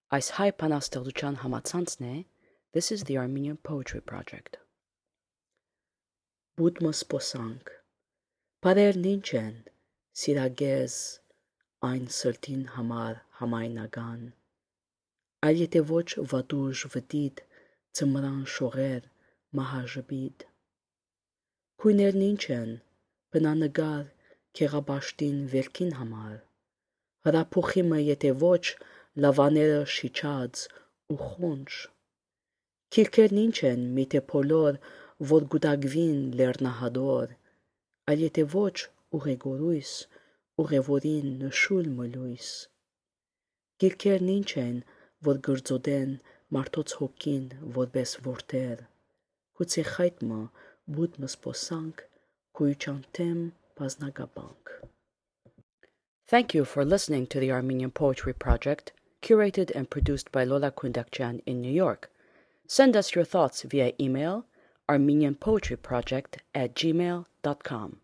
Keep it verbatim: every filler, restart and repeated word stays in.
Այս հայ բանաստեղծության համացանցն է This is the Armenian Poetry Project. Բուդմը սպոսանք, բարերն ինչ են, սիրագեզ, այն սրտին համար համայնական, այլ եթե ոչ վատուժ վտիտ, ծմրան շողեր, մահաժպիտ. Քույներն ինչ են, բնանկար, քեղաբաշտին վերքին համար, հրափոխիմը եթե ոչ, լավաները շիչած ու խոնջ, քիրքերն ինչ են, միթե բոլոր, որ գուտակվին լեռնահադոր, այլ եթե ոչ ուղեգորույս, ուղևորին նշույլ մլույս, գիրքերն ինչ են, որ գրծոդեն մարդոց հոգին որպես որդեր, գուցե խայտմը բուդմը սպոսանք, քույչանթեմ բազնագաբանք. Thank you for listening to the Armenian Poetry Project, curated and produced by Lola Kundakjian in New York. Send us your thoughts via email armenianpoetryproject at gmail dot com.